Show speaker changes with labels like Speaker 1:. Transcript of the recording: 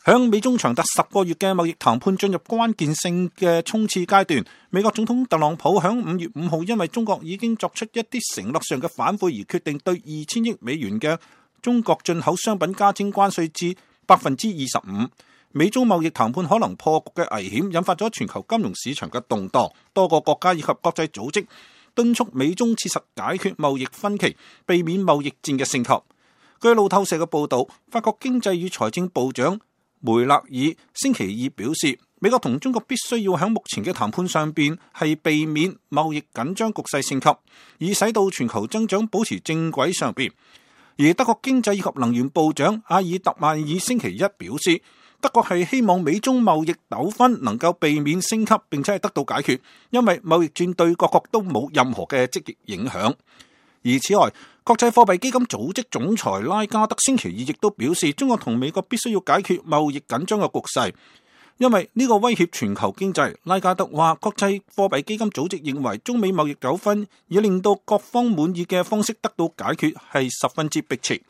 Speaker 1: 響美中長達10個月嘅貿易談判進入關鍵性嘅衝刺階段，美國總統特朗普響5月5號因為中國已經作出一啲承諾上嘅反悔而決定對2000億美元嘅中國進口商品加徵關稅至 25%。美中貿易談判可能破局嘅危險引發咗全球金融市場嘅動盪，多個國家以及國際組織敦促美中切實解決貿易分歧，避免貿易戰嘅升級。據路透社嘅報導，法國經濟與財政部長梅勒爾星期二表示，美國同中國必須要喺目前嘅談判上邊係避免貿易緊張局勢升級，以使到全球增長保持正軌上邊。而德國經濟以及能源部長阿爾特曼爾星期一表示，德國係希望美中貿易糾紛能夠避免升級，並且係得到解決，因為貿易戰對各國都冇任何嘅積極影響。而此外，國際貨幣基金組織總裁拉加德星期二亦都表示，中國同美國必須要解決貿易緊張嘅局勢，因為呢個威脅全球經濟。拉加德話，國際貨幣基金組織認為中美貿易糾紛以令到各方滿意嘅方式得到解決係十分之迫切。